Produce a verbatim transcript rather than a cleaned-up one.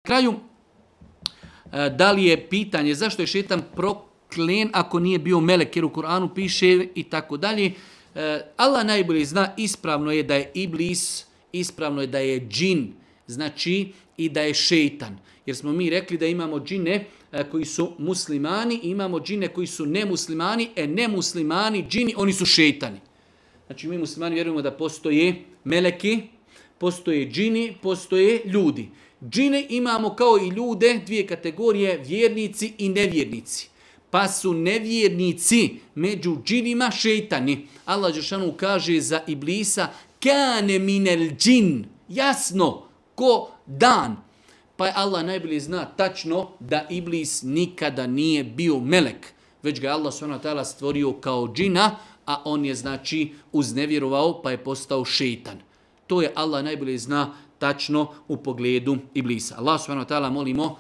kraju, da li je pitanje zašto je šetan proklen ako nije bio melek, jer u Kur'anu piše i tako dalje. Allah najbolje zna, ispravno je da je iblis, ispravno je da je džin, znači i da je šeitan. Jer smo mi rekli da imamo džine koji su muslimani i imamo džine koji su nemuslimani, e nemuslimani, džini, oni su šeitani. Znači mi muslimani vjerujemo da postoje meleki, postoje džini, postoje ljudi. Džine imamo kao i ljude, dvije kategorije, vjernici i nevjernici. Pa su nevjernici među džinima šeitani. Allah dželešanu kaže za iblisa, kane minel džin, jasno, ko dan. Pa je Allah najbolje zna tačno da iblis nikada nije bio melek, već ga Allah subhanahu wa ta'ala stvorio kao džina, a on je znači uznevjerovao pa je postao šeitan. To je Allah najbolje zna tačno u pogledu iblisa. Allah subhanahu wa ta'ala molimo